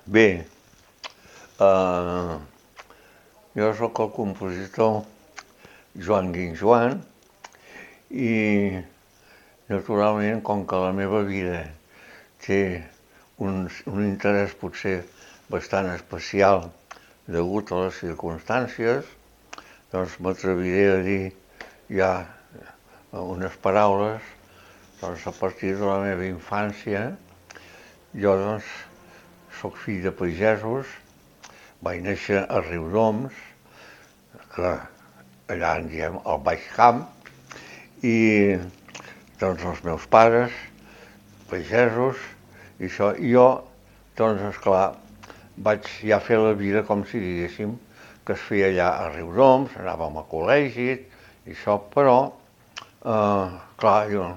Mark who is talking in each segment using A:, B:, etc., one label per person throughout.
A: Bé, eh, jo sóc el compositor Joan Guinjoan i, naturalment, com que la meva vida té un interès potser bastant especial degut a les circumstàncies, doncs m'atreviré a dir ja unes paraules. Doncs a partir de la meva infància, jo doncs sóc fill de pagesos, vaig néixer a Riudoms, que allà en diem el Baix Camp, i doncs els meus pares, pagesos, i això, i jo, doncs esclar, vaig ja fer la vida com si diguéssim que es feia allà a Riudoms, anàvem a col·legi i això, però, clar, jo,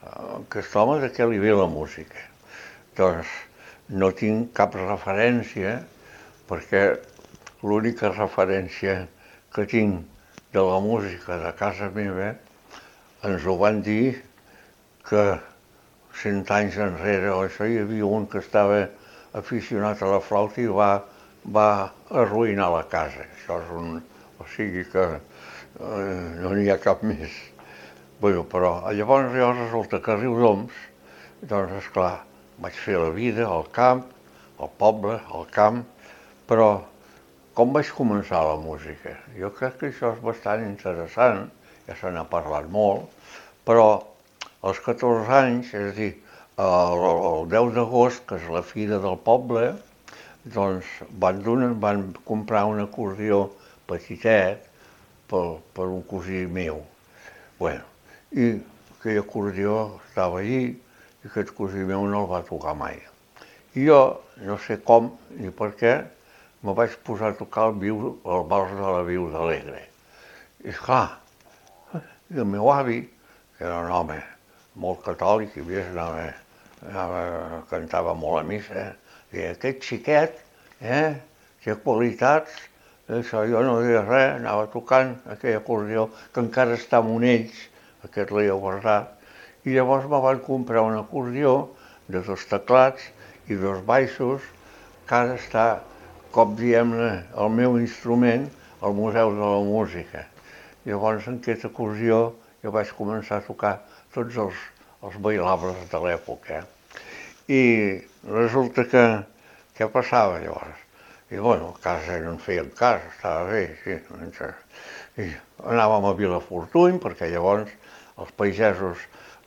A: aquest home de què li ve la música? Doncs no tinc cap referència, perquè l'única referència que tinc de la música de casa meva ens ho van dir que 100 anys enrere o això hi havia un que estava aficionat a la flauta i va arruïnar la casa. Això és o sigui que no n'hi ha cap més. Bueno, però llavors resulta que a Riudoms, doncs esclar, vaig fer la vida al camp, al poble, al camp, però com vaig començar la música? Jo crec que això és bastant interessant, ja se n'ha parlat molt, però als 14 anys, és a dir, el 10 d'agost, que és la fira del poble, doncs van comprar un acordió petitet per un cosí meu. Bueno, i aquell acordió estava allí i aquest cosí meu no el va tocar mai. I jo, no sé com ni per què, me vaig posar a tocar el vals de la Viuda Alegre. I esclar, el meu avi, que era un home molt catòlic, i més cantava molt a missa, i aquest xiquet, té qualitats, això jo no deia res, anava tocant aquell acordió que encara està amb Monells, aquest l'he guardat, i llavors me van comprar un acordió de 2 teclats i 2 baixos, que ara està, com diem-ne, el meu instrument al Museu de la Música. Llavors en aquest acordió jo vaig començar a tocar tots els bailables de l'època. I resulta que què passava llavors? I bueno, a casa no en feien cas, estava bé, sí. I anàvem a Vilafortuny, perquè llavors els pagesos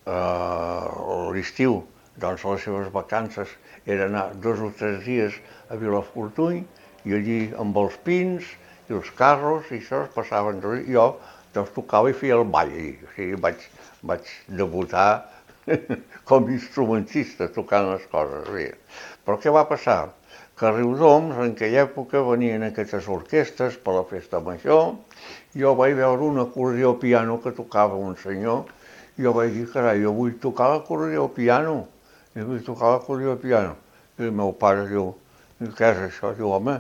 A: a l'estiu, doncs les seves vacances era anar 2 o 3 dies a Vilafortuny i allí amb els pins i els carros i això es passaven. Jo doncs tocava i feia el ball, o sigui, vaig debutar com a instrumentista tocant les coses. Sí. Però què va passar? Que a Riudoms en aquella època venien aquestes orquestes per la festa major, jo vaig veure un acordió piano que tocava un senyor, i jo vaig dir, carai, jo vull tocar l'acordió piano, jo vull tocar l'acordió piano. I el meu pare diu, què és això? Diu, home,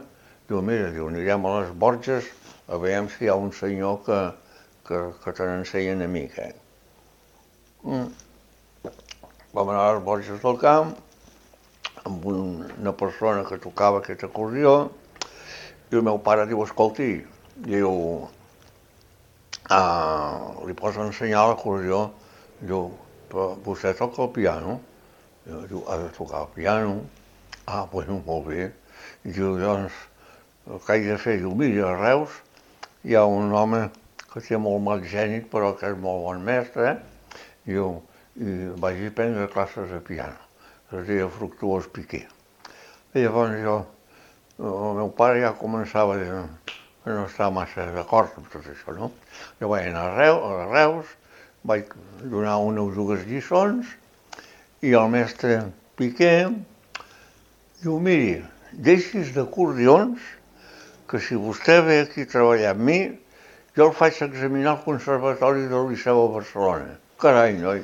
A: mira, anirem a les Borges a veure si hi ha un senyor que te n'ensenya una mica. Vam anar a les Borges del Camp, amb una persona que tocava aquest acordió, i el meu pare diu, escolti, diu, li pots ensenyar l'acordió? Diu, però vostè toca el piano? Diu, ha de tocar el piano. Bueno, molt bé. I diu, doncs, el que haig de fer? Diu, mira, a Reus hi ha un home que té molt mal gènit, però que és molt bon mestre, Diu, i vaig prendre classes de piano, que es deia Fructuós Piqué. I llavors el meu pare ja començava a dir que no estava massa d'acord amb tot això, no? Jo vaig anar a Reus, vaig donar una o dues lliçons, i el mestre Piqué diu, miri, deixis d'acordions, que si vostè ve aquí a treballar amb mi, jo el faig examinar al Conservatori del Liceu a Barcelona. Carai, noi,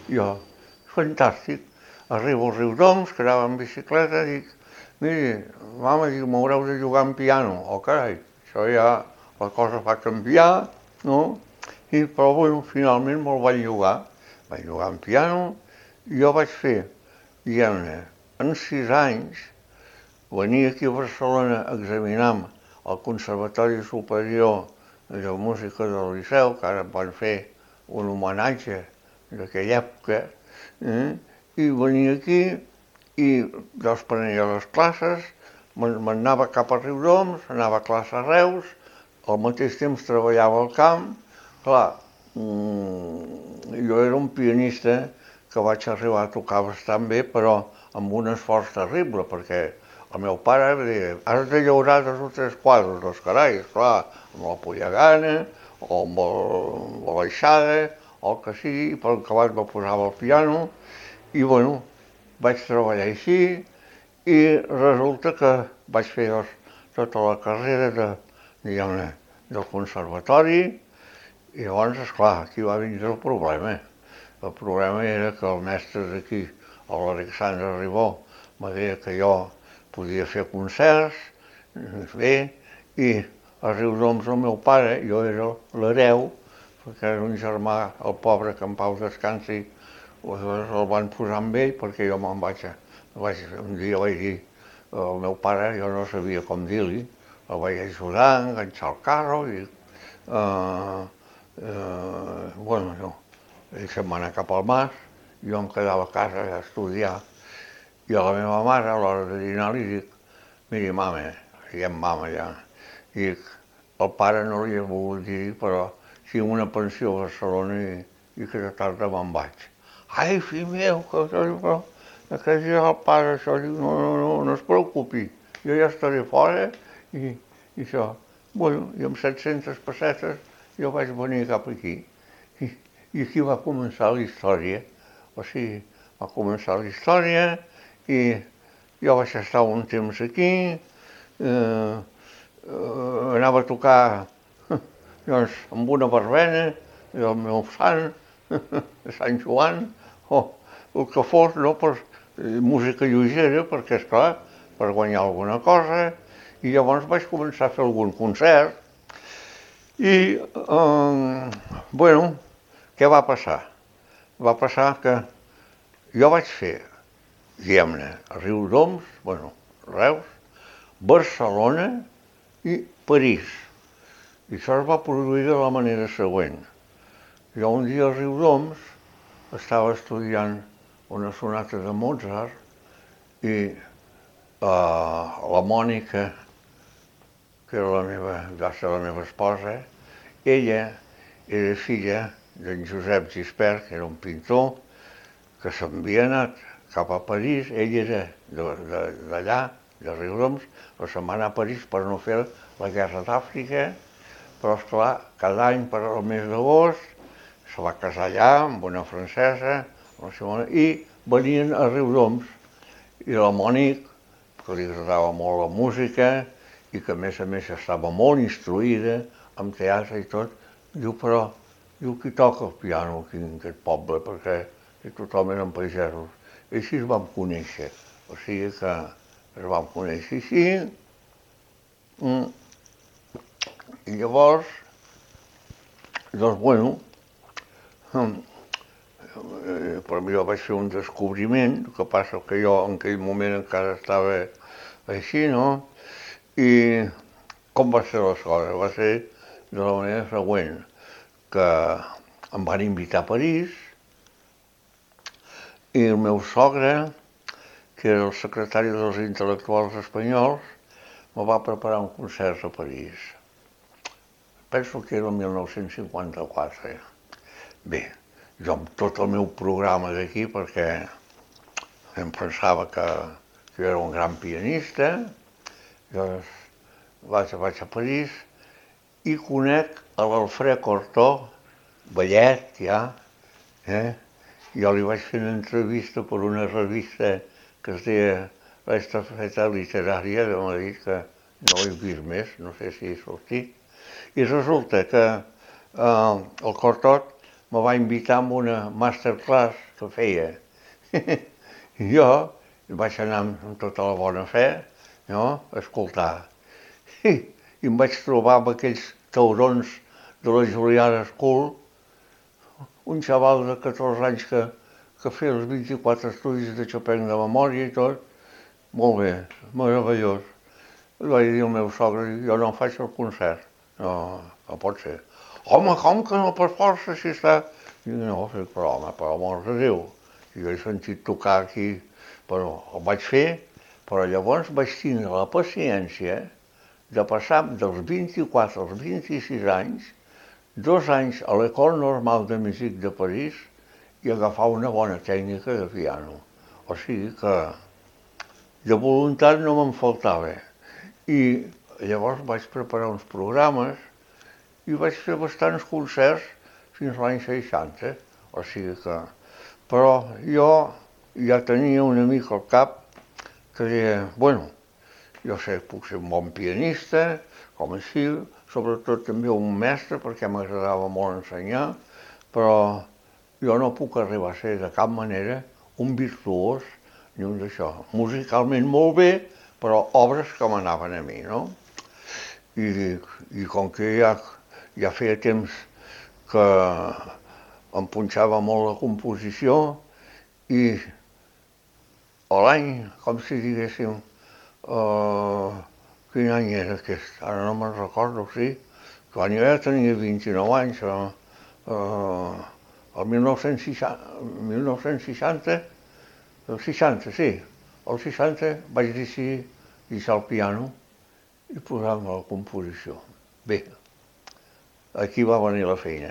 A: jo, fantàstic. Arribo al Riudoms, que anava en bicicleta, dic, miri, mama, m'haureu de jugar en piano. Oh, carai, això ja, la cosa va canviar, no? Però, bueno, finalment me'l vaig jugar. Vaig jugar en piano i jo vaig fer, diguem-ne, en 6 anys, venir aquí a Barcelona a examinar al Conservatori Superior de Música del Liceu, que ara van fer un homenatge d'aquella època, i venia aquí i jo es prenia les classes, m'anava cap a Riudoms, anava a classe a Reus, al mateix temps treballava al camp. Clar, jo era un pianista que vaig arribar a tocar bastant bé, però amb un esforç terrible, perquè el meu pare em deia, has de llaurar 2 o 3 quadres, doncs carai, esclar, amb la pollagana, o amb la baixada, o el que sigui, i per acabat me posava al piano, i bueno, vaig treballar així, i resulta que vaig fer tota la carrera del conservatori, i llavors, esclar, aquí va vindre el problema. El problema era que el mestre d'aquí, l'Alexandre Ribó, me deia que jo podia fer concerts, bé, i a Riudoms el meu pare, jo era l'hereu, perquè era un germà, el pobre, que en pau descansi, el van posar amb ell perquè jo me'n vaig, un dia vaig dir al meu pare, jo no sabia com dir-li, el vaig ajudar a enganxar el carro i, bueno, ell se'n va anar cap al mas, jo em quedava a casa a estudiar, i a la meva mare, a l'hora de dinar, li dic, miri, mama, diguem mama ja, dic, el pare no li he volgut dir, però tinc una pensió a Barcelona i aquesta tarda me'n vaig. Ai, fill meu, però aquest dia el pare això, diu, no es preocupi, jo ja estaré fora i això. Bueno, i amb 700 pessetes jo vaig venir cap aquí. I aquí va començar la història. O sigui, va començar la història i jo vaig estar un temps aquí, anava a tocar doncs, amb una verbena del meu sant, de Sant Joan, o el que fos, no? Per música lleugera, perquè, esclar, per guanyar alguna cosa, i llavors vaig començar a fer algun concert, i, bueno, què va passar? Va passar que jo vaig fer, diguem-ne, a Riudoms, bueno, Reus, Barcelona i París. I això es va produir de la manera següent. Jo un dia a Riudoms estava estudiant una sonata de Mozart i la Mònica, que va ser la meva esposa, ella era filla d'en Josep Gispert, que era un pintor, que s'havia anat cap a París, ell era d'allà, de Riudoms, però se'n va anar a París per no fer la guerra d'Àfrica, però esclar, cada any per al mes d'agost se va casar allà amb una francesa, i venien a Riudoms, i la Mònica, que li agradava molt la música, i que a més estava molt instruïda en teatre i tot, diu, però, qui toca el piano aquí en aquest poble, perquè tothom eren pagesos. I així es vam conèixer, o sigui que es vam conèixer així, i llavors, doncs, bueno, per mi jo vaig fer un descobriment, el que passa que jo en aquell moment encara estava així, no? I com va ser les coses? Va ser de la manera següent, que em van invitar a París i el meu sogre, que era el secretari dels intel·lectuals espanyols, me va preparar un concert a París. Penso que era el 1954. Bé, jo amb tot el meu programa d'aquí, perquè em pensava que jo era un gran pianista, llavors vaig a París i conec l'Alfred Cortot, vellet ja, jo li vaig fer una entrevista per una revista que es deia L'Estafeta Literària de Madrid, que no he vist més, no sé si he sortit. I resulta que el Cortot me va invitar a una masterclass que feia. I jo vaig anar amb tota la bona fe, no?, a escoltar. I em vaig trobar amb aquells taurons de la Juliana School, un xaval de 14 anys que feia els 24 estudis de Chopin de memòria i tot, molt bé, meravellós. Vaig dir al meu sogre, jo no faig el concert. No, no pot ser. Home, com que no per força si està... Dic, no, però home, per amor de Déu. Jo he sentit tocar aquí, però el vaig fer, però llavors vaig tindre la paciència de passar dels 24 als 26 anys, 2 anys a l'École Normale de Musique de París i agafar una bona tècnica de piano. O sigui que de voluntat no me'n faltava. I llavors vaig preparar uns programes i vaig fer bastants concerts fins l'any 60. O sigui que... Però jo ja tenia una mica al cap que deia, bueno, jo sé, puc ser un bon pianista, com així, sobretot també un mestre, perquè m'agradava molt ensenyar, però jo no puc arribar a ser de cap manera un virtuós ni un d'això. Musicalment molt bé, però obres que m'anaven a mi, no? I com que ja feia temps que em punxava molt la composició i l'any, com si diguéssim, quin any era aquest? Ara no me'n recordo, sí. Quan jo ja tenia 29 anys, el 1960, el 60, sí, el 60 vaig decidir deixar el piano i posar-me a la composició. Bé, aquí va venir la feina,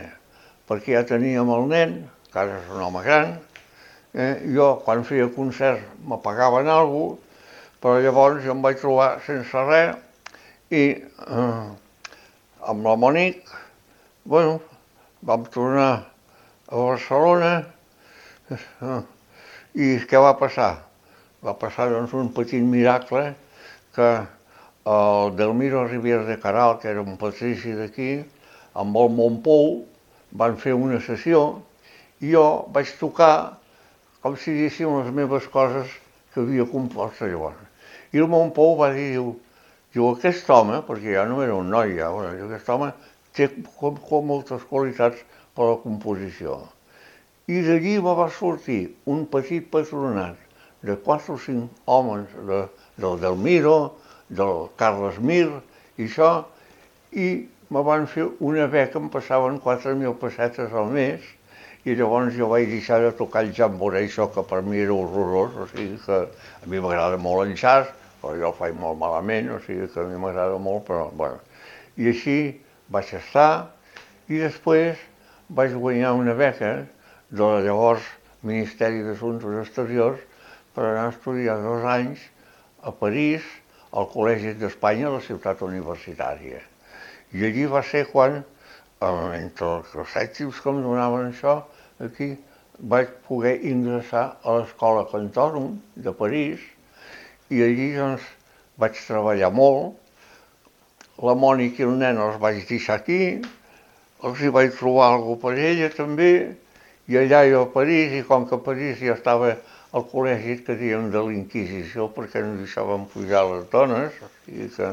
A: perquè ja teníem el nen, que ara és un home gran, jo quan feia concerts m'apagaven alguna cosa, però llavors jo em vaig trobar sense res i amb la Monique, bueno, vam tornar a Barcelona i què va passar? Va passar doncs un petit miracle que el Delmiro Rivière de Caral, que era un patrici d'aquí, amb el Montpou van fer una sessió i jo vaig tocar com si diguéssim les meves coses que havia compost llavors. I el Montpou va dir, diu, aquest home, perquè ja no era un noi, ja, aquest home té moltes qualitats per a la composició. I d'allí va sortir un petit patronat de 4 o 5 homes del Delmiro, del Carles Mir i això, i me van fer una beca, em passaven 4.000 pessetes al mes, i llavors jo vaig deixar de tocar el jamboree, això que per mi era horrorós, o sigui que a mi m'agrada molt el jazz, però jo el faig molt malament, o sigui que a mi m'agrada molt, però bueno. I així vaig estar, i després vaig guanyar una beca del llavors Ministeri d'Assumptes Exteriors per anar a estudiar 2 anys a París, al Col·legi d'Espanya, a la ciutat universitària. I allí va ser quan, entre els èxits que em donaven això, aquí vaig poder ingressar a l'Escola Cantòrum de París i allí doncs vaig treballar molt. La Mònica i el nen els vaig deixar aquí, els hi vaig trobar alguna cosa per ella també, i allà jo a París, i com que a París ja estava al col·legi que dèiem de l'Inquisició, perquè no deixàvem pujar les dones, o sigui que...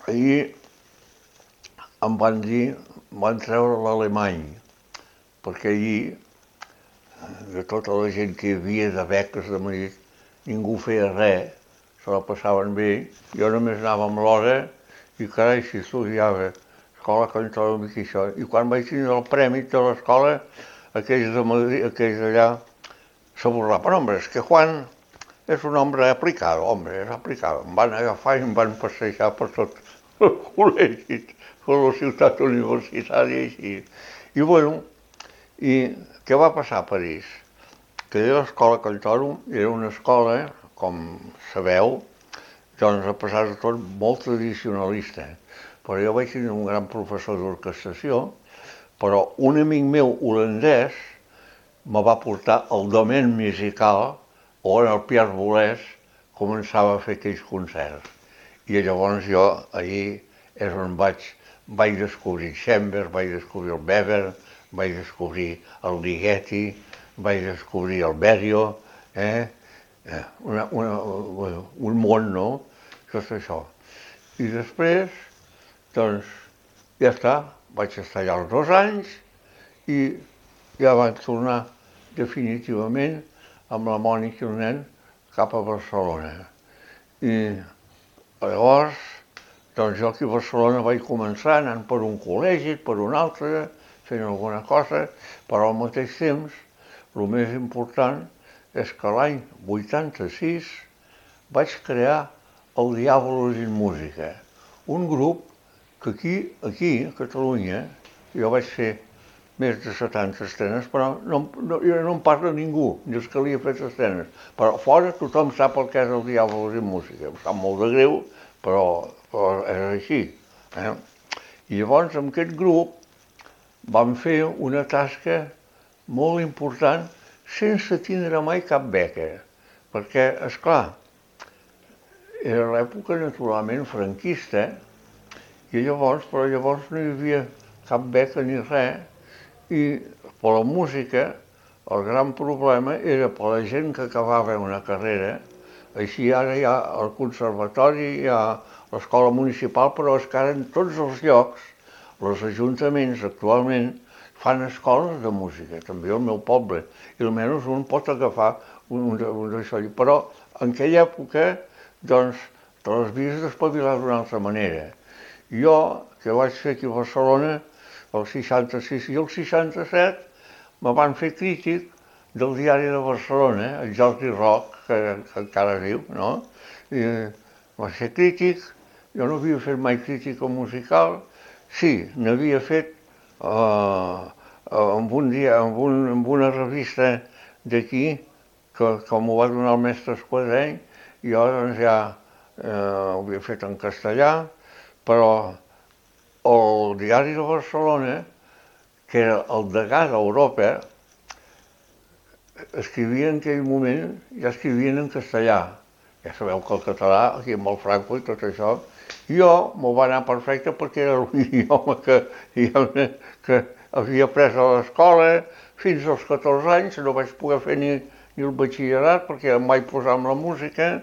A: I em van dir, van treure l'alemany, perquè allí, de tota la gent que hi havia de beques de Madrid, ningú feia res, se la passaven bé, jo només anava amb l'hora i carai, si estudiava escola Cantòrum i això. I quan vaig tindre el premi de l'escola, aquells de Madrid, aquells d'allà, s'aborraven, hombre, és que Juan és un home aplicado, hombre, és aplicado. Em van agafar i em van passejar per tot el col·legi, per la ciutat universitària i així. I bueno, i què va passar a París? Que l'escola Cantòrum era una escola, com sabeu, doncs a pesar de tot molt tradicionalista. Però jo vaig tenir un gran professor d'orquestració, però un amic meu holandès me va portar al domaine musical on el Pierre Boulez començava a fer aquells concerts. I llavors jo allí és on vaig descobrir Chambers, vaig descobrir el Weber, vaig descobrir el Ligeti, vaig descobrir el Berio, un món, no? Tot això. I després, doncs, ja està, vaig estar allà els 2 anys i ja vaig tornar definitivament amb la Mònica i el nen cap a Barcelona. I llavors, doncs jo aquí a Barcelona vaig començar anant per un col·legi, per un altre, fent alguna cosa, però al mateix temps, el més important és que l'any 86 vaig crear el Diàbolos in Música, un grup que aquí a Catalunya, jo vaig fer més de 70 estrenes, però no em parla ningú, ni els que li he fet estrenes. Però fora tothom sap el que és el Diàbolos in Música. Em sap molt de greu, però és així. I llavors amb aquest grup vam fer una tasca molt important sense tindre mai cap beca, perquè, esclar, era l'època naturalment franquista, però llavors no hi havia cap beca ni res, i per la música el gran problema era per la gent que acabava una carrera. Així ara hi ha el conservatori, hi ha l'escola municipal, però és que ara en tots els llocs, els ajuntaments actualment fan escoles de música, també al meu poble, i almenys un pot agafar un d'això. Però en aquella època, doncs, te les havies d'espavilar d'una altra manera. Jo, que vaig fer aquí a Barcelona, el 66 i el 67, me van fer crític del Diari de Barcelona, el Jordi Roc, que encara viu, no? I va ser crític, jo no havia fet mai crítica musical, sí, n'havia fet amb una revista d'aquí, que m'ho va donar el mestre Esquadeny, i jo doncs ja ho havia fet en castellà, però el Diari de Barcelona, que era el degà d'Europa, escrivia en aquell moment, ja escrivien en castellà. Ja sabeu que el català, aquí amb el Franco i tot això, jo m'ho va anar perfecte perquè era l'idioma que havia après a l'escola. Fins als 14 anys no vaig poder fer ni el batxillerat perquè em vaig posar amb la música,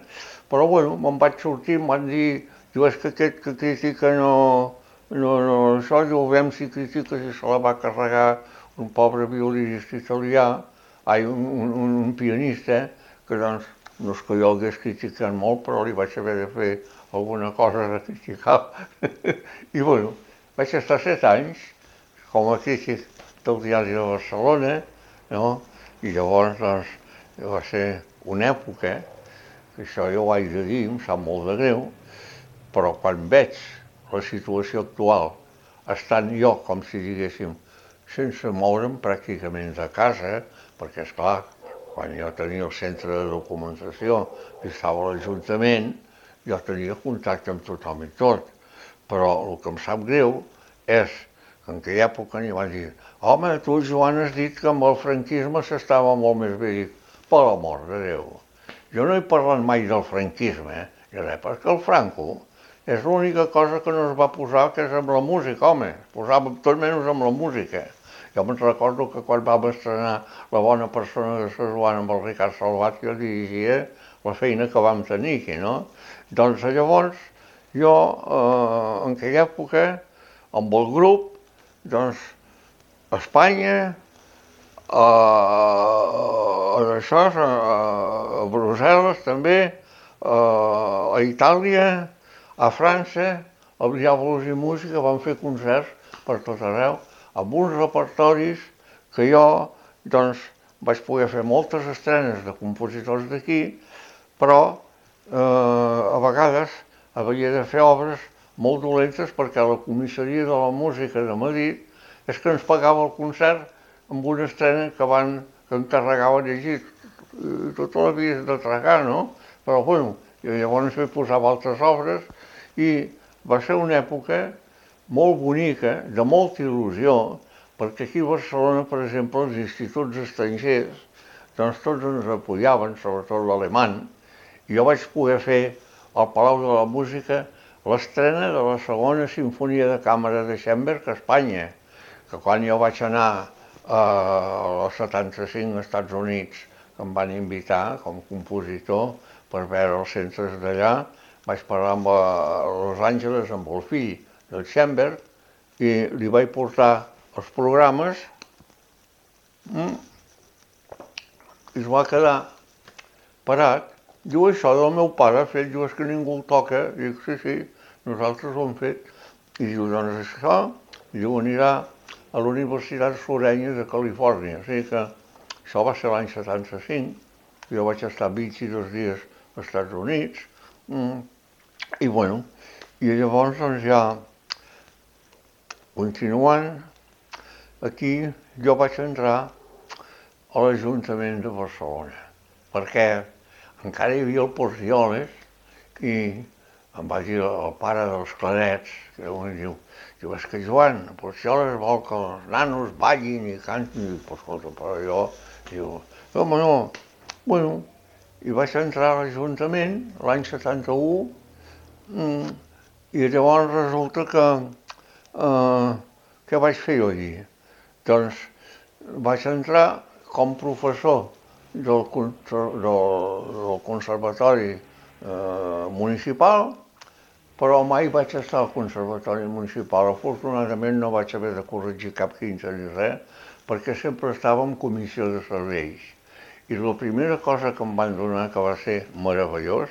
A: però bueno, me'n vaig sortir, em van dir, és que aquest que critica això, diu, veiem si critica si se la va carregar un pobre violinista italià, un pianista, que doncs no és que jo hagués criticat molt, però li vaig haver de fer alguna cosa de criticar. I bueno, vaig estar 7 anys com a crític del Diari de Barcelona, no? I llavors doncs va ser una època, que això jo ho haig de dir, em sap molt de greu, però quan veig la situació actual, estant jo, com si diguéssim, sense moure'm pràcticament de casa, perquè esclar, quan jo tenia el centre de documentació i estava a l'Ajuntament, jo tenia contacte amb tothom i tot, però el que em sap greu és que en aquella època n'hi van dir, home, tu, Joan, has dit que amb el franquisme s'estava molt més bé. Dic, per l'amor de Déu, jo no he parlat mai del franquisme, perquè el Franco és l'única cosa que no es va posar, que és amb la música, home, es posava tot menys amb la música. Jo me'n recordo que quan vam estrenar La bona persona de Sant Joan amb el Ricard Salvat, jo dirigia la feina que vam tenir aquí, no? Doncs llavors, jo, en aquella època, amb el grup, doncs, a Espanya, a Brussel·les també, a Itàlia, a França, al Diàbolos in Música, van fer concerts per tot arreu, amb uns repertoris que jo, doncs, vaig poder fer moltes estrenes de compositors d'aquí, però a vegades havia de fer obres molt dolentes perquè la comissaria de la música de Madrid és que ens pagava el concert amb una estrena que encarregaven llegir. Tota la vida de tragar, no? Però, bueno, llavors hi posava altres obres i va ser una època molt bonica, de molta il·lusió, perquè aquí a Barcelona, per exemple, els instituts estrangers, doncs tots ens apoyaven, sobretot l'alemany, i jo vaig poder fer al Palau de la Música l'estrena de la segona Simfonia de Càmera de Schoenberg a Espanya, que quan jo vaig anar als 75 als Estats Units, que em van invitar com a compositor per veure els centres d'allà, vaig parlar amb Los Angeles amb el fill del Schoenberg i li vaig portar els programes i es va quedar parat. Diu, això del meu pare ha fet, diu, és que ningú el toca. Dic, sí, nosaltres ho hem fet. I diu, doncs això, diu, anirà a la Universitat Florència de Califòrnia. O sigui que això va ser l'any 75. Jo vaig estar 22 dies als Estats Units. I bueno, i llavors doncs ja continuant, aquí jo vaig entrar a l'Ajuntament de Barcelona, perquè encara hi havia el Porcioles i em va dir el pare dels Clarets, que diu, és que Joan, el Porcioles vol que els nanos ballin i cantin, i dic, escolta, però jo, diu, no, bueno, i vaig entrar a l'Ajuntament l'any 71, i llavors resulta que què vaig fer jo allí? Doncs vaig entrar com professor del Conservatori Municipal, però mai vaig estar al Conservatori Municipal. Afortunadament no vaig haver de corregir cap 15 ni res, perquè sempre estava en comissió de serveis. I la primera cosa que em van donar, que va ser meravellós,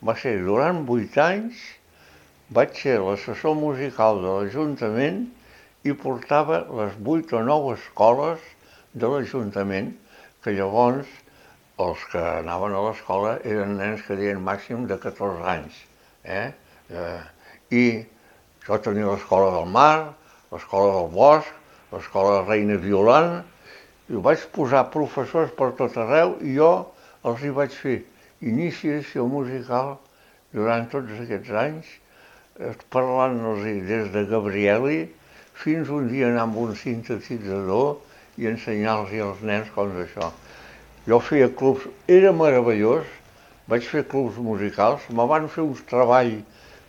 A: va ser durant 8 anys vaig ser l'assessor musical de l'Ajuntament i portava les 8 o 9 escoles de l'Ajuntament, que llavors els que anaven a l'escola eren nens que deien màxim de 14 anys. I jo tenia l'Escola del Mar, l'Escola del Bosc, l'Escola Reina Violant, i vaig posar professors per tot arreu i jo els hi vaig fer iniciació musical durant tots aquests anys, parlant-los des de Gabrieli fins un dia anar amb un sintetitzador i ensenyar-los als nens com d'això. Jo feia clubs, era meravellós, vaig fer clubs musicals, me van fer un treball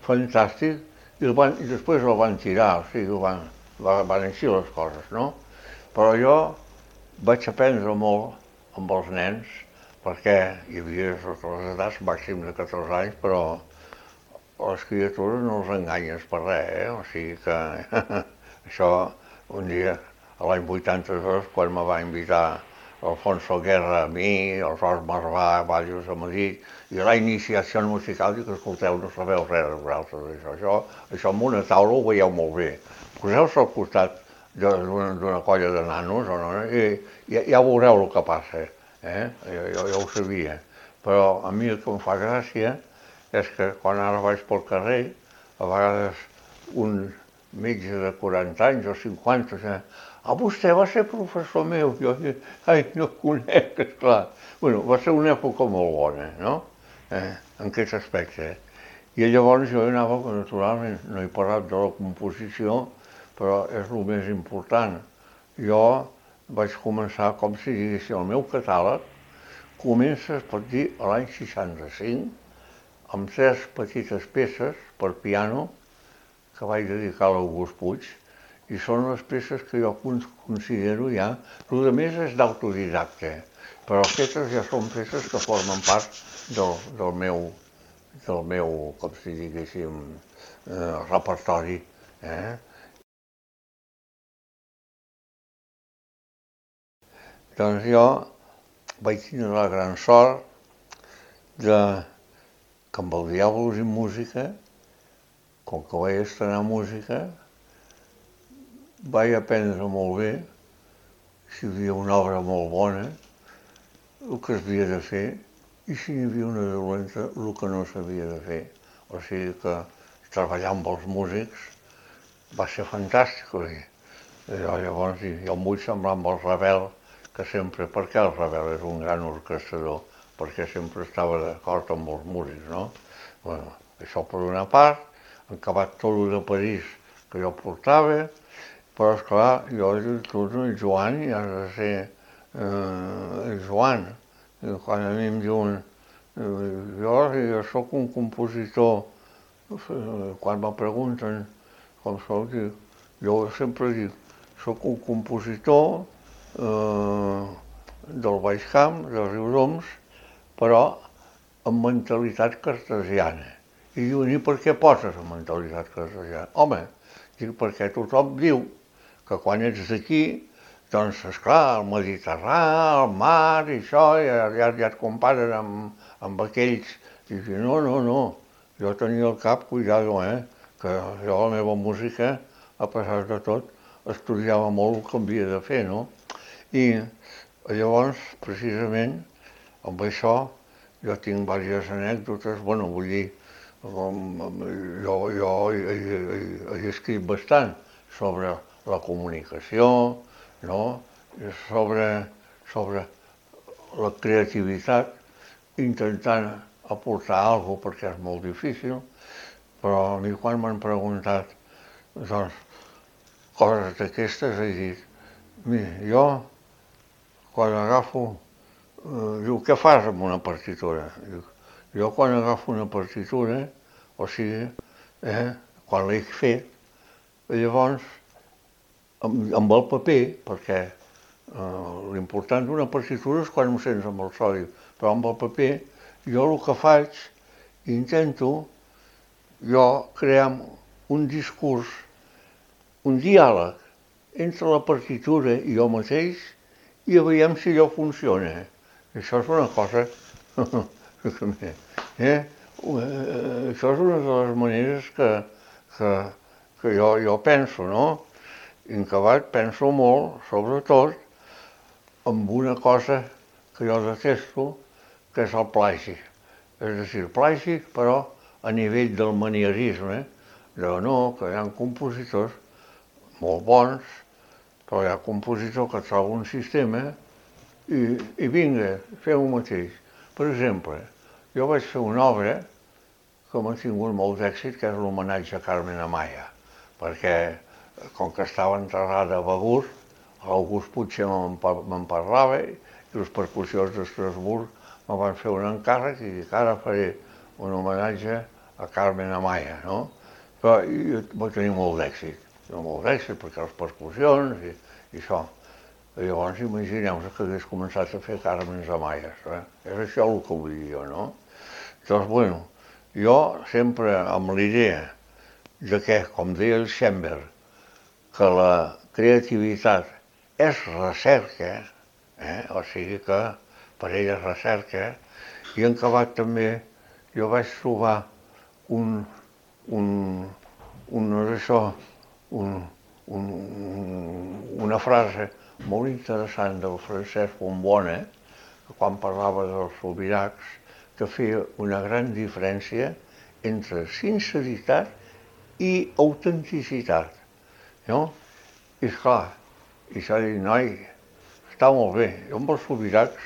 A: fantàstic i després el van tirar, o sigui, van així les coses, no? Però jo vaig aprendre molt amb els nens, perquè hi havia totes les edats, màxim de 14 anys, però les criatures no els enganyes per res, o sigui que això un dia, l'any 82, quan me va invitar Alfonso Guerra a mi, el Ros Marvà, Valls a Madrid, i la iniciació musical, dic, escolteu, no sabeu res de vosaltres, això amb una taula ho veieu molt bé. Poseu-vos al costat d'una colla de nanos, i ja veureu el que passa, jo ho sabia. Però a mi el que em fa gràcia és que quan ara vaig pel carrer, a vegades un metge de 40 anys o 50, vostè va ser professor meu, jo no el conec, esclar. Bueno, va ser una època molt bona, no?, en aquest aspecte. I llavors jo anava, naturalment, no he parlat de la composició, però és el més important. Jo vaig començar, com si diguéssim, el meu catàleg comença, es pot dir, a l'any 65, amb 3 petites peces per piano que vaig dedicar a l'August Puig, i són les peces que jo considero ja, el que més és d'autodidacte, però aquestes ja són peces que formen part del meu, com si diguéssim, repertori. Doncs jo vaig tenir la gran sort que amb el Diàbolos i Música, com que vaig estrenar música, vaig aprendre molt bé, si hi havia una obra molt bona, el que s'havia de fer, i si hi havia una dolenta, el que no s'havia de fer. O sigui que treballar amb els músics va ser fantàstic. Llavors jo em vull semblar amb el Ravel, que sempre, perquè el Ravel és un gran orquestrador, perquè sempre estava d'acord amb els músics, no? Bueno, això per una part, han acabat tot el de París que jo portava, però esclar, jo he dit, el Joan ja has de ser el Joan. Quan a mi em diuen, jo soc un compositor, quan me pregunten com soc, jo sempre dic, soc un compositor del Baix Camp, dels Riudoms, però amb mentalitat cartesiana. I diuen, i per què poses amb mentalitat cartesiana? Home, dic, perquè tothom diu que quan ets d'aquí Doncs, esclar, el Mediterrani, el mar i això, ja et comparen amb aquells. I dius, no, jo tenia al cap, cuidado, que jo la meva música, a pesar de tot, estudiava molt el que havia de fer, no? I llavors, precisament, amb això, jo tinc diverses anècdotes, bueno, vull dir, jo he escrit bastant sobre la comunicació, no? sobre la creativitat, intentant aportar alguna cosa perquè és molt difícil, però a mi quan m'han preguntat doncs, coses d'aquestes he dit, mira, jo quan agafo, diu, què fas amb una partitura? Diu, jo quan agafo una partitura, o sigui, quan l'he fet, llavors, amb el paper, perquè l'important d'una partitura és quan ho sents amb el sòlid, però amb el paper jo el que faig, intento jo crear un discurs, un diàleg entre la partitura i jo mateix i veiem si allò funciona. Això és una cosa... Això és una de les maneres que jo penso, no? I en acabat penso molt, sobretot, amb una cosa que jo detesto, que és el plagi. És a dir, plagi, però a nivell del manierisme, no, que hi ha compositors molt bons, però hi ha compositors que troben un sistema i vinga, feu el mateix. Per exemple, jo vaig fer una obra que m'ha tingut molt d'èxit, que és l'homenatge a Carmen Amaya, perquè com que estava enterrada a Begur, l'August Puig me'n parlava i les percussions d'Estrasburg me van fer un encàrrec i dic, ara faré un homenatge a Carmen Amaya, no? Però va tenir molt d'èxit perquè les percussions i això. I llavors imagineu-vos que hagués començat a fer Carmen Amaya, és això el que vull dir jo, no? Doncs, bueno, jo sempre amb l'idea de que, com deia el Schoenberg, que la creativitat és recerca, o sigui que per ell és recerca, i en acabat també jo vaig trobar una frase molt interessant del Francesc Bombona, que quan parlava dels sobirats, que feia una gran diferència entre sinceritat i autenticitat, no? I esclar, i s'ha dit, noi, està molt bé, jo amb els sobirats,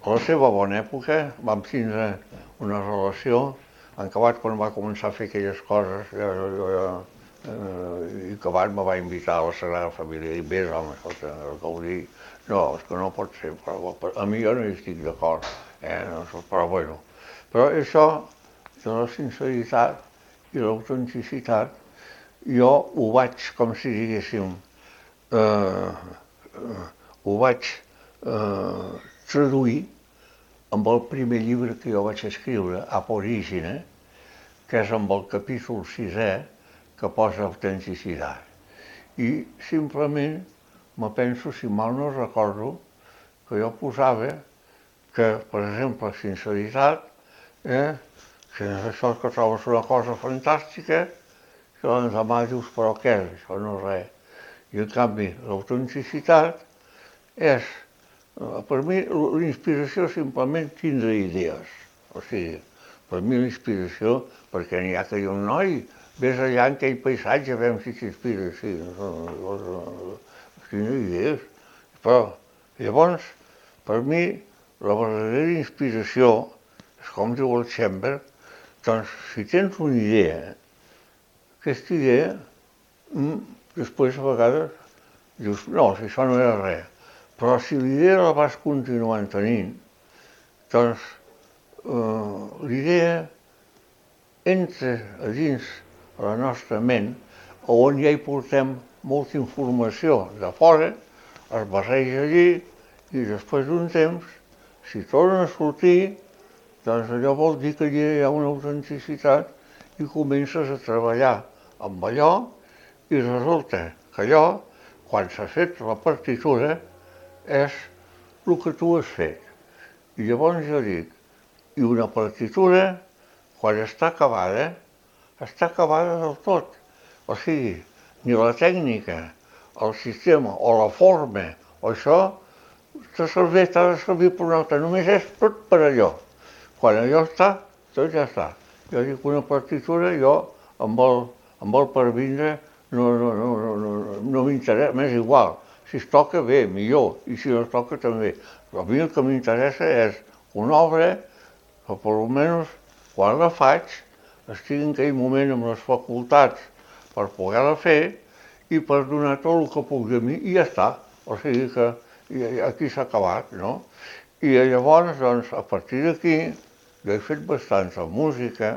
A: a la seva bona època, vam tindre una relació, en acabat quan va començar a fer aquelles coses, i acabat me va invitar a la Sagrada Família, i vés, home, el que ho dic, no, és que no pot ser, però a mi jo no hi estic d'acord, però bueno. Però això de la sinceritat i l'autenticitat, jo ho vaig, com si diguéssim, ho vaig traduir amb el primer llibre que jo vaig escriure, Ab Origine, que és amb el capítol 6è, que posa autenticitat. I simplement me penso, si mal no recordo, que jo posava que, per exemple, sinceritat, que això que trobes una cosa fantàstica, que l'endemà dius, però què és? Això no és res. I en canvi, l'autenticitat és, per mi, l'inspiració simplement tindre idees. O sigui, per mi l'inspiració, perquè n'hi ha que diuen, noi, vés allà en aquell paisatge, a veure si t'inspira. Sí, tindre idees. Però, llavors, per mi, la verdadera inspiració, és com diu el Schoenberg, doncs, si tens una idea, aquesta idea, després a vegades dius, no, si això no era res. Però si l'idea la vas continuant tenint, doncs l'idea entra a dins la nostra ment, on ja hi portem molta informació de fora, es barreja allí i després d'un temps, si torna a sortir, doncs allò vol dir que allà hi ha una autenticitat i comences a treballar amb allò i resulta que allò quan s'ha fet la partitura, és el que tu has fet. I llavors jo dic, i una partitura, quan està acabada del tot. O sigui, ni la tècnica, el sistema o la forma o això t'ha de servir per una altra. Només és tot per allò. Quan allò està, tot ja està. Jo dic una partitura, jo em vol per vindre, no m'interessa, m'és igual. Si es toca bé, millor, i si no es toca també. Però a mi el que m'interessa és una obra que per almenys quan la faig estigui en aquell moment amb les facultats per poder-la fer i per donar tot el que puc de mi i ja està. O sigui que aquí s'ha acabat, no? I llavors, doncs, a partir d'aquí, jo he fet bastanta música.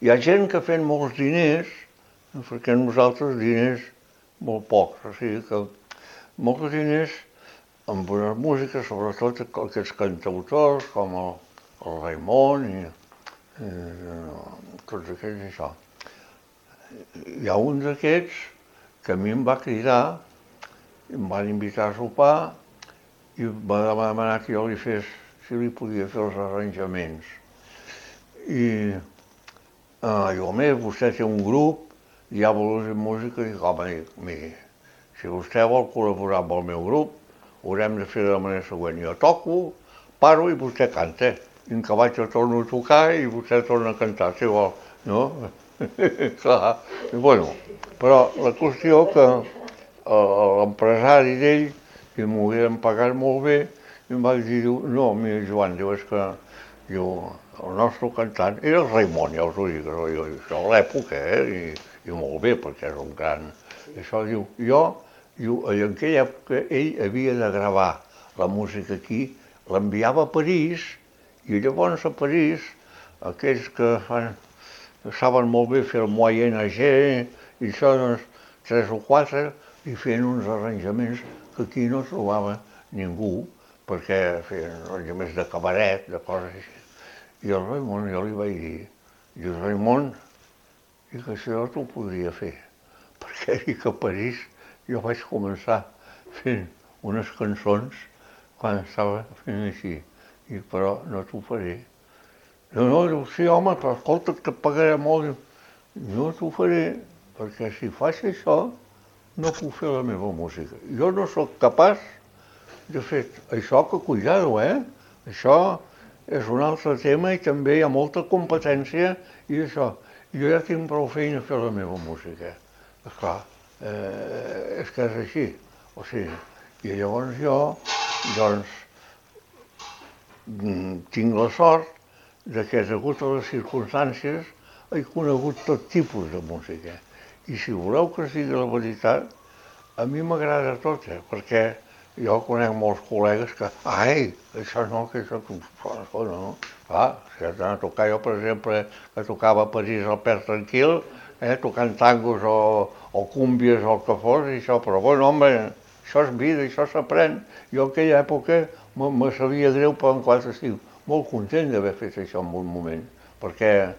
A: Hi ha gent que ha fet molts diners, perquè nosaltres diners molt pocs, o sigui que molts diners amb una música, sobretot aquests cantautors com el Raimon i tots aquests això. Hi ha un d'aquests que a mi em va cridar, em van invitar a sopar i em va demanar que jo li fes, si li podia fer els arranjaments. I jo, home, vostè té un grup, ja vol fer música, i dic, home, miri, si vostè vol col·laborar amb el meu grup, ho haurem de fer de la manera següent. Jo toco, paro i vostè canta. I en que vaig jo torno a tocar i vostè torna a cantar, si vol, no? Clar, bueno, però la qüestió que l'empresari d'ell, que m'ho havien pagat molt bé, i em va dir, no, mira, Joan, diu, és que el nostre cantant era el Raimon, ja us ho dic, això a l'època, i molt bé, perquè és un gran... Això diu, en aquella època ell havia de gravar la música aquí, l'enviava a París, i llavors a París, aquells que saben molt bé fer el Moyen Âge, i això, doncs, 3 o 4, i feien uns arranjaments que aquí no trobava ningú, perquè feien arranjaments de cabaret, de coses així. I el Raimon, jo li vaig dir, diu, Raimon, i que això t'ho podria fer, perquè dic a París jo vaig començar fent unes cançons quan estava fent així, i però no t'ho faré. No, diu, sí, home, però escolta, que et pagaré molt. No t'ho faré, perquè si faig això, no puc fer la meva música. Jo no sóc capaç de fer això, que cuidado, Això és un altre tema i també hi ha molta competència i això. Jo ja tinc prou feina a fer la meva música. Esclar, és que és així. O sigui, i llavors jo, doncs, tinc la sort que, degut a les circumstàncies, he conegut tot tipus de música. I si voleu que es digui la veritat, a mi m'agrada tot, perquè jo conec molts col·legues que, això no, que això no. Clar, si has d'anar a tocar, jo, per exemple, que tocava a París al Père Tranquil, tocant tangos o cúmbies o el que fos, i això, però bueno, home, això és vida, això s'aprèn. Jo en aquella època me sabia greu, però en quant estic molt content d'haver fet això en un moment, perquè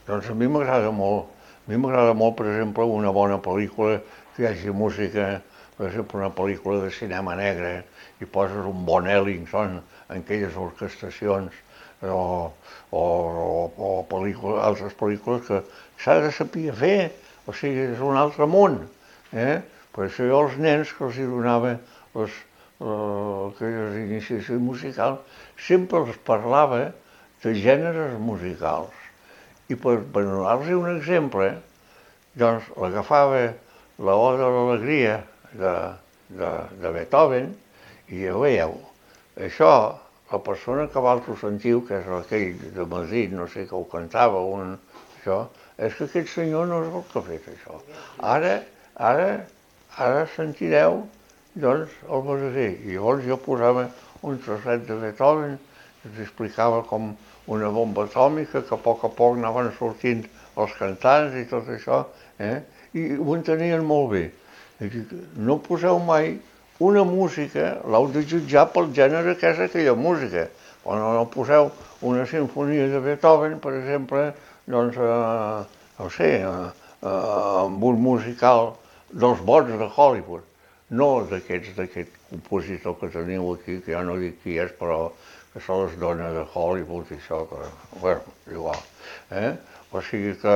A: doncs a mi m'agrada molt. A mi m'agrada molt, per exemple, una bona pel·lícula que hi hagi música, per exemple, una pel·lícula de cinema negre, i poses un bon Ellington en aquelles orquestacions, o altres pel·lícules que s'ha de saber fer, o sigui, és un altre món. Per això jo als nens que els donava aquelles iniciacions musicals, sempre els parlava de gèneres musicals. I per donar-los un exemple, doncs l'agafava l'Oda de l'Alegria de Beethoven i ja veieu, això, la persona que vosaltres sentiu, que és aquell de Madrid, no sé que ho cantava, això, és que aquest senyor no és el que ha fet això. Ara sentireu, doncs, el verdader. I llavors jo posava un trosset de Beethoven, que t'explicava com una bomba atòmica, que a poc anaven sortint els cantants i tot això, i ho entenien molt bé. No poseu mai una música, l'heu de jutjar pel gènere que és aquella música, quan no poseu una sinfonia de Beethoven, per exemple, doncs, no sé, amb un musical dels bons de Hollywood, no d'aquest compositor que teniu aquí, que ja no dic qui és, però que se les dona de Hollywood i això, que, bueno, igual. O sigui que,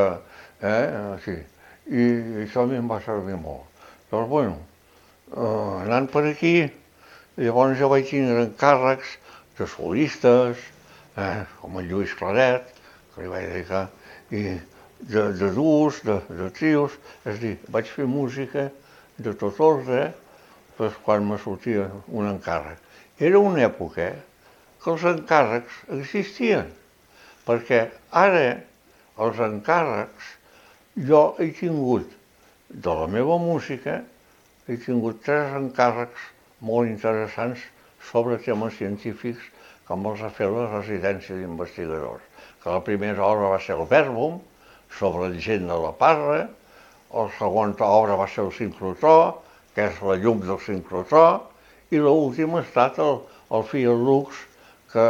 A: sí, i això a mi em va servir molt. Doncs, bueno, anant per aquí, llavors jo vaig tindre encàrrecs de solistes, com el Lluís Claret, que li vaig dedicar, i de duos, de trios, és a dir, vaig fer música de tot ordre, doncs quan me sortia un encàrrec. Era una època que els encàrrecs existien, perquè ara els encàrrecs jo he tingut de la meva música, he tingut 3 encàrrecs molt interessants sobre temes científics com els ha fet la residència d'investigadors. Que la primera obra va ser el Verbum, sobre el gent de la Parra, la segona obra va ser el sincrotró, que és la llum del sincrotró, i l'última ha estat el Fiat Lux, que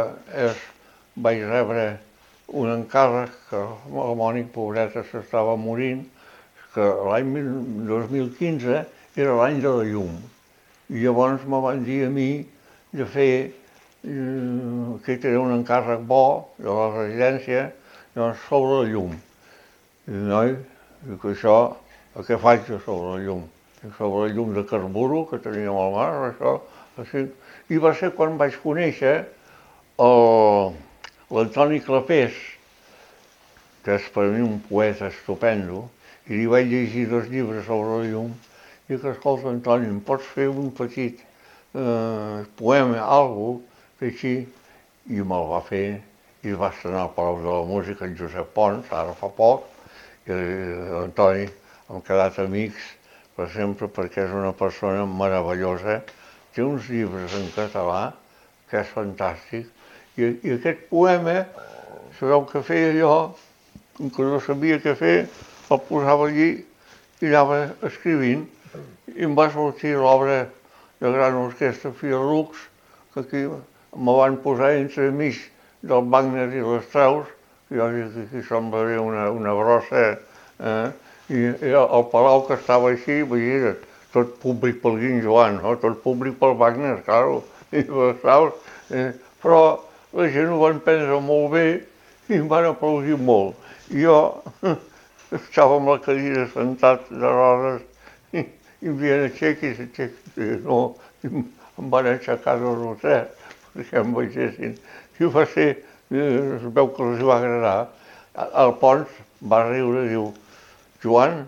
A: vaig rebre un encàrrec que la Mònica, pobreta, s'estava morint, que l'any 2015 era l'any de la llum. I llavors me van dir a mi de fer, que era un encàrrec bo de la residència, doncs sobre la llum. I noi, dic això, què faig sobre la llum? Sobre la llum de carburo que teníem al mar, això, així. I va ser quan vaig conèixer l'Antoni Clapés, que és per mi un poeta estupendo, i li vaig llegir 2 llibres sobre la llum, i que, escolta, Antoni, em pots fer un petit poema, alguna cosa, així? I me'l va fer, i va estrenar al Palau de la Música en Josep Pons, ara fa poc, i l'Antoni hem quedat amics per sempre perquè és una persona meravellosa, té uns llibres en català que és fantàstic, i aquest poema, sabeu què feia jo, que no sabia què fer, el posava allí i anava escrivint, i em va sortir l'obra de gran orquestra Fiat Lux, que aquí me van posar entre mig del Wagner i les Strauss, jo dic que aquí semblaré una brossa, i el palau que estava així, era tot públic pel Guim Joan, no? Tot públic pel Wagner, claro, i les Strauss, però la gent ho van prendre molt bé i em van aplaudir molt. I jo estava amb la cadira sentat de rodes i em deien aixequis, no, em van aixecar de rotet perquè em veiessin. I va ser, es veu que els va agradar. El Pons va riure i diu, Joan,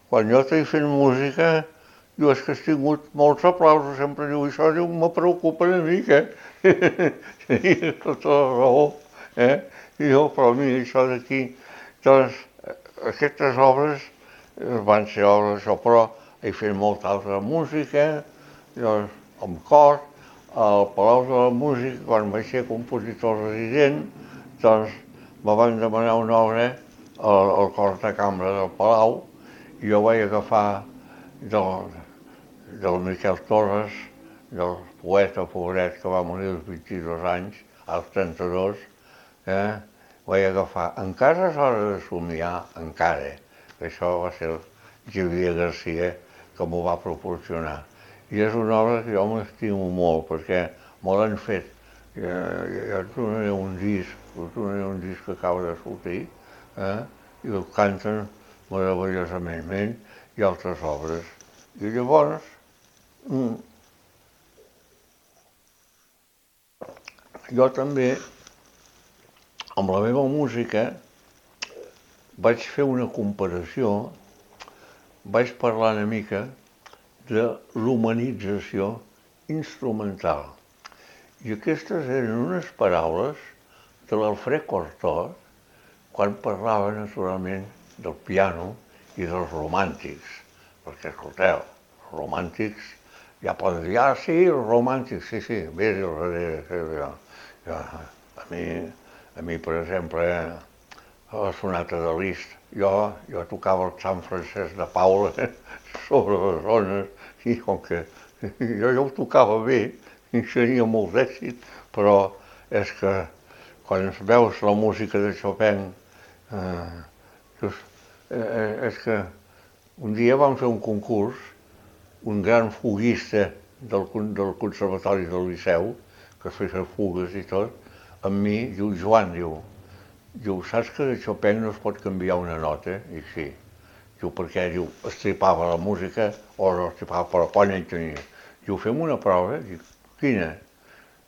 A: quan jo t'he fet música, diu, és que has tingut molts aplausos, sempre diu, això diu, me preocupa una mica. Tenia tota la raó, I jo, però mira, això d'aquí, doncs, aquestes obres van ser obres d'això, però he fet molta altra música, doncs, amb cor, al Palau de la Música, quan vaig ser compositor resident, doncs me van demanar una obra al cor de cambra del Palau i jo vaig agafar del Miquel Torres, del poeta pobret que va morir als 22 anys, als 32, vaig agafar, encara és hora de somiar, encara, que això va ser el Xavier Garcia que m'ho va proporcionar. I és una obra que jo m'estimo molt, perquè me l'han fet. Ja et donaré un disc que acaba de sortir, i el canten meravellosament, i altres obres. I llavors, jo també, amb la meva música, vaig fer una comparació, vaig parlar una mica de l'humanització instrumental. I aquestes eren unes paraules de l'Alfred Cortot quan parlava naturalment del piano i dels romàntics. Perquè, escolteu, els romàntics ja poden dir, sí, els romàntics, sí, vés al darrere. A mi, per exemple, a la sonata de Liszt, jo tocava el Sant Francesc de Paula sobre les ones, i com que jo ho tocava bé, i tenia molt d'èxit, però és que quan veus la música de Chopin, és que un dia vam fer un concurs, un gran fuguista del Conservatori del Liceu, que feia fugues i tot, amb mi, diu, Joan, diu, saps que de Chopin no es pot canviar una nota? I sí. Diu, perquè, diu, estripava la música, o no estripava, però quan ell tenia. Diu, fem una prova? Diu, quina?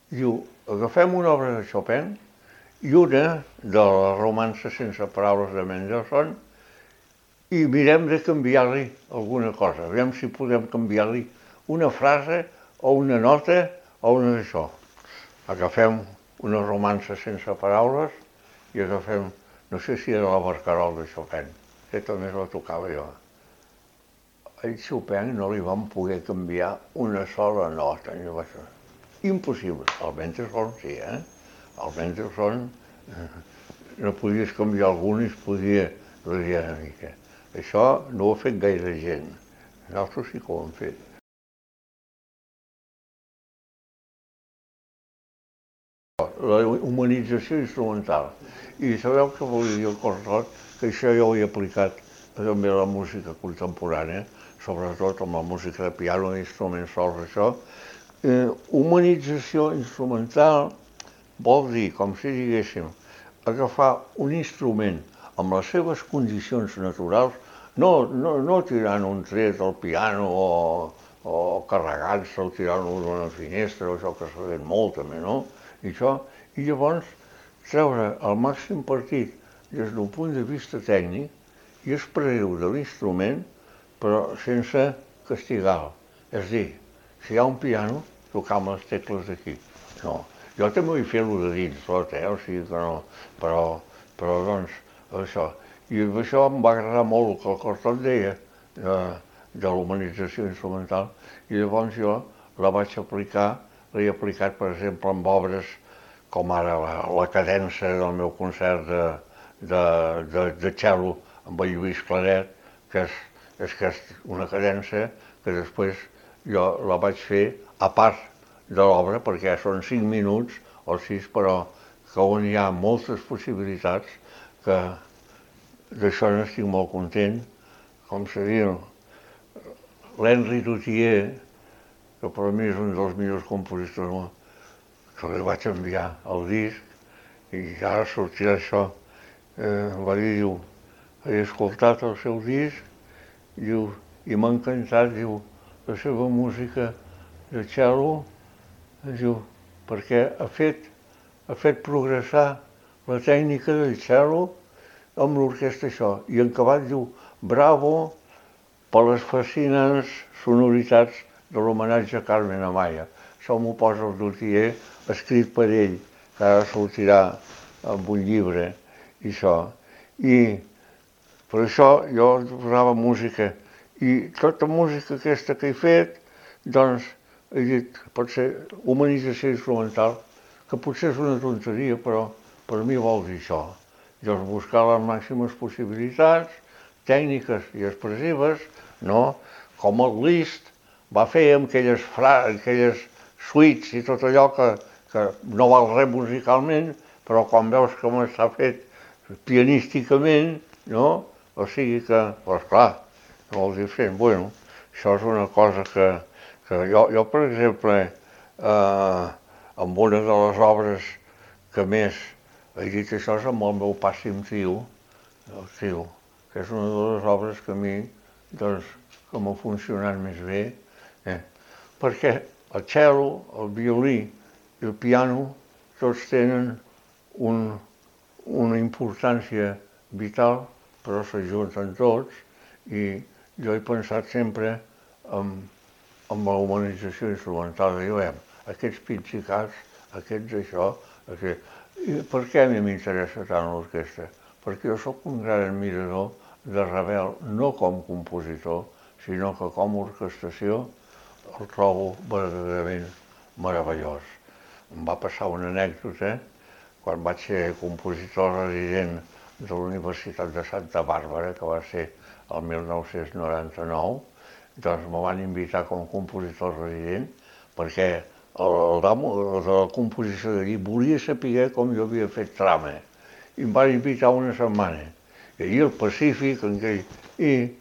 A: Diu, agafem una obra de Chopin i una de la romança sense paraules de Mendelssohn i mirem de canviar-li alguna cosa. Aviam si podem canviar-li una frase o una nota o una d'això. Agafem una romança sense paraules i agafem, no sé si era la Barcarola de Chopin, que també la tocava jo. A Chopin no li vam poder canviar una sola nota. Impossible. El Mendelssohn sí, El Mendelssohn no podies canviar alguna i es podia redir una mica. Això no ho ha fet gaire gent. Nosaltres sí que ho hem fet. La humanització instrumental. I sabeu què volia dir el Cortot? Que això jo ho he aplicat també a la música contemporània, sobretot amb la música de piano i instruments sols, això. Humanització instrumental vol dir, com si diguéssim, agafar un instrument amb les seves condicions naturals, no tirant un tret al piano o carregant-se o tirant-lo d'una finestra, o això que s'ha fet molt també, no? I llavors treure el màxim partit des d'un punt de vista tècnic i expressar-ho de l'instrument, però sense castigar-lo. És a dir, si hi ha un piano, tocar amb les tecles d'aquí. No. Jo també vull fer-lo de dins tot, o sigui que no, però doncs, això. I això em va agradar molt el que el Cortot deia de l'humanització instrumental, i llavors jo la vaig aplicar, l'he aplicat, per exemple, amb obres com ara la cadença del meu concert de cello amb el Lluís Claret, que és una cadença que després jo la vaig fer a part de l'obra, perquè són 5 minuts o 6, però que on hi ha moltes possibilitats, que d'això n'estic molt content. Com se diu, l'Henri Duthier, que per mi és un dels millors compositors, que li vaig enviar el disc i ara sortirà això. Va dir, diu, he escoltat el seu disc, diu, i m'ha encantat, diu, la seva música de cello, diu, perquè ha fet progressar la tècnica del cello amb l'orquestra això. I en acabat diu, bravo per les fascinants sonoritats de l'homenatge a Carmen Amaya. Això m'ho posa el Duthier, escrit per ell, que ara sortirà amb un llibre, i això. I per això jo posava música. I tota música aquesta que he fet, doncs, he dit, pot ser humanització instrumental, que potser és una tonteria, però per mi vol dir això. Llavors, buscar les màximes possibilitats, tècniques i expressives, no? Com el Liszt va fer amb aquelles suites i tot allò que no val res musicalment, però quan veus com està fet pianísticament, no? O sigui que, doncs clar, molt diferent. Bueno, això és una cosa que jo, per exemple, amb una de les obres que més he dit això és amb el meu pàssim tio, el tio, que és una de les obres que a mi, doncs, que m'ha funcionat més bé, perquè el cello, el violí i el piano tots tenen una importància vital, però s'ajunten tots, i jo he pensat sempre amb la humanització instrumental. Diguem, aquests pitsicats, aquests això, I per què a mi m'interessa tant l'orquestra? Perquè jo sóc un gran admirador de Ravel, no com compositor, sinó que com a orquestració el trobo verdaderament meravellós. Em va passar una anècdota quan vaig ser compositor resident de la Universitat de Santa Bàrbara, que va ser el 1999, doncs me van invitar com a compositor resident perquè el damo de la composició d'allí volia saber com jo havia fet trama i em van invitar una setmana. I allí al Pacífic, i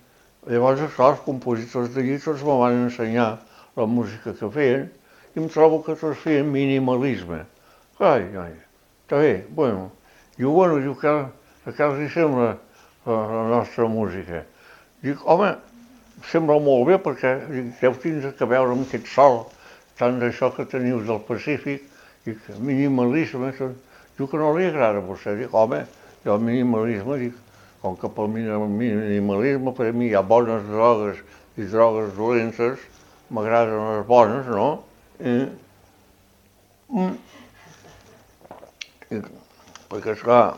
A: llavors, esclar, els compositors d'allí tots me van ensenyar la música que feien i em trobo que tots feien minimalisme. Ai, està bé, bueno. Diu, què els hi sembla la nostra música? Dic, home, sembla molt bé perquè deu tindre que veure amb aquest sol, tant d'això que teniu del Pacífic, i minimalisme, diu que no li agrada a vostè. Dic, home, jo el minimalisme, dic, com que pel minimalisme per a mi hi ha bones drogues i drogues dolentes, m'agraden les bones, no? Perquè, esclar,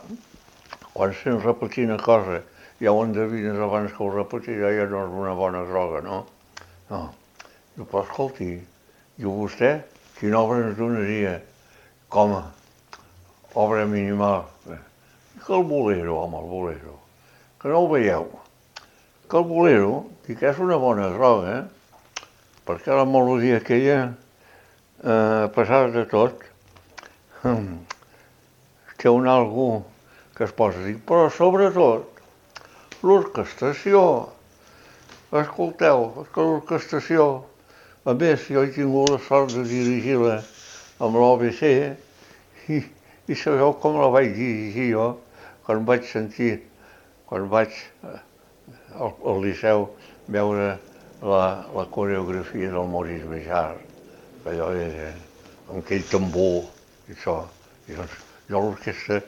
A: quan sents repetir una cosa, ja ho endevines abans que ho repetirà, ja no és una bona droga, no? No. Diu, però escolti, diu vostè, quina obra ens donaria com a obra minimal? Que el bolero, home, el bolero, que no ho veieu. Que el bolero, dic, és una bona droga, perquè la melodia aquella, a pesar de tot, té un algú que es posa a dir, però sobretot, l'orquestració. Escolteu, és que l'orquestració, a més, jo he tingut la sort de dirigir-la amb l'OBC i sabeu com la vaig dirigir jo quan vaig al Liceu veure la coreografia del Maurice Béjart, que allò era amb aquell tambor i això. I doncs jo l'orquestra,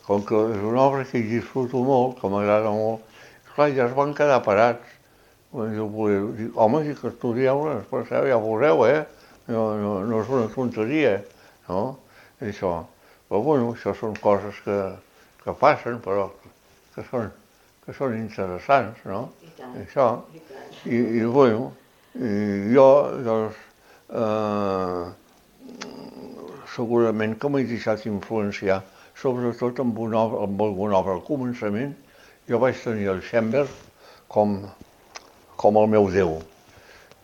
A: com que és una obra que hi disfruto molt, que m'agrada molt, clar, ja es van quedar parats. Dic, home, si que estudieu-la, ja veureu, no és una tonteria, no? Això. Però bueno, això són coses que passen, però que són interessants, no? Això. I bueno, jo, doncs, segurament que m'he deixat influenciar, sobretot amb alguna obra. Al començament jo vaig tenir el Schoenberg com el meu Déu,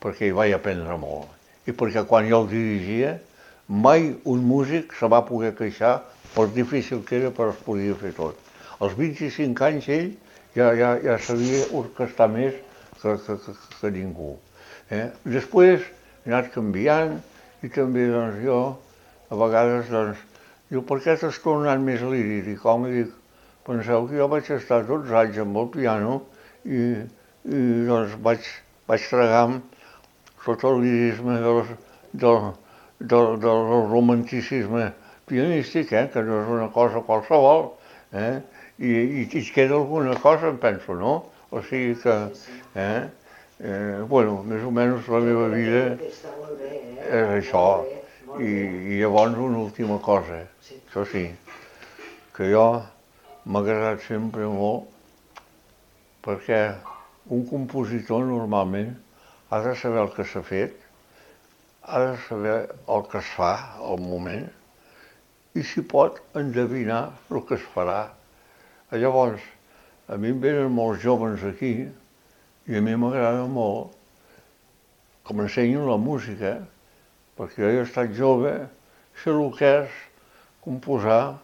A: perquè hi vaig aprendre molt. I perquè quan jo el dirigia, mai un músic se va poder queixar per difícil que era, però es podia fer tot. Als 25 anys ell ja sabia orquestar més que ningú. Després he anat canviant i també doncs, jo a vegades diu, per què t'has tornat més líric? Dic, home, penseu que jo vaig estar 12 anys amb el piano i doncs vaig tragar sota el lirisme del romanticisme pianístic, que no és una cosa qualsevol, i et queda alguna cosa, em penso, no? O sigui que, bueno, més o menys la meva vida és això. I llavors una última cosa, això sí, que jo m'ha agradat sempre molt perquè un compositor normalment ha de saber el que s'ha fet, ha de saber el que es fa al moment i si pot endevinar el que es farà. Llavors, a mi em venen molts joves aquí i a mi m'agrada molt que m'ensenyin la música, perquè jo he estat jove, sé el que és composar,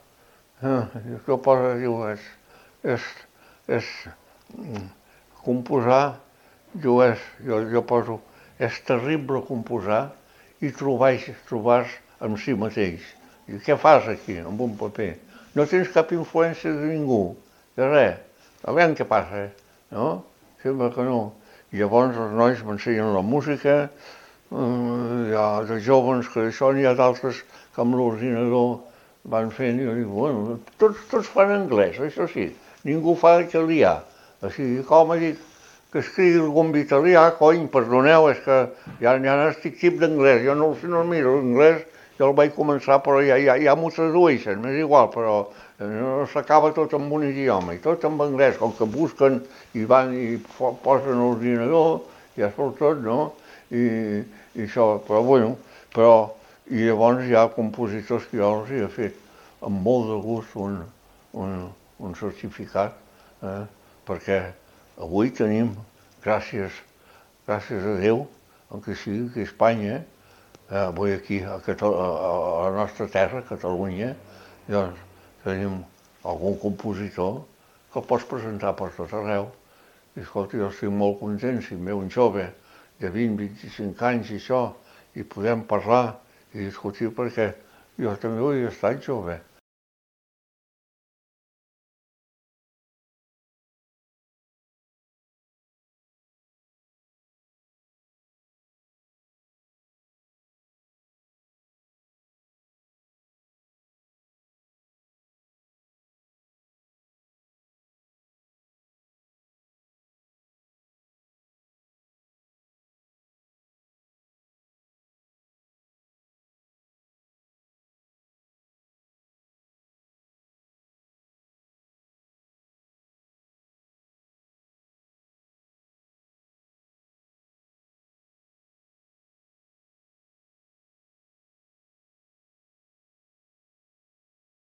A: jo poso, diu, composar, jo poso, és terrible composar i trobar amb si mateix. I què fas aquí, amb un paper? No tens cap influència de ningú, de res. A veure què passa, no? Sembla que no. I llavors els nois m'ensenyen la música, hi ha de joves que això, n'hi ha d'altres que amb l'ordinador van fent, i jo dic, bueno, tots fan anglès, això sí, ningú fa italià. O sigui, com dic, que escrigui algun italià, cony, perdoneu, és que ja n'estic tip d'anglès, jo no miro l'anglès, jo el vaig començar, però ja m'ho tradueixen, m'és igual, però no s'acaba tot en un idioma, i tot en anglès, com que busquen i van i posen l'ordinador, ja surt tot, no? I això, però bueno, i llavors hi ha compositors que jo els he fet amb molt de gust un certificat, perquè avui tenim, gràcies a Déu, que sigui que a Espanya, avui aquí a la nostra terra, Catalunya, doncs tenim algun compositor que el pots presentar per tot arreu. I escolta, jo estic molt content si em ve un jove de 20-25 anys i això, i podem parlar i discutir perquè jo també ho he estat jove.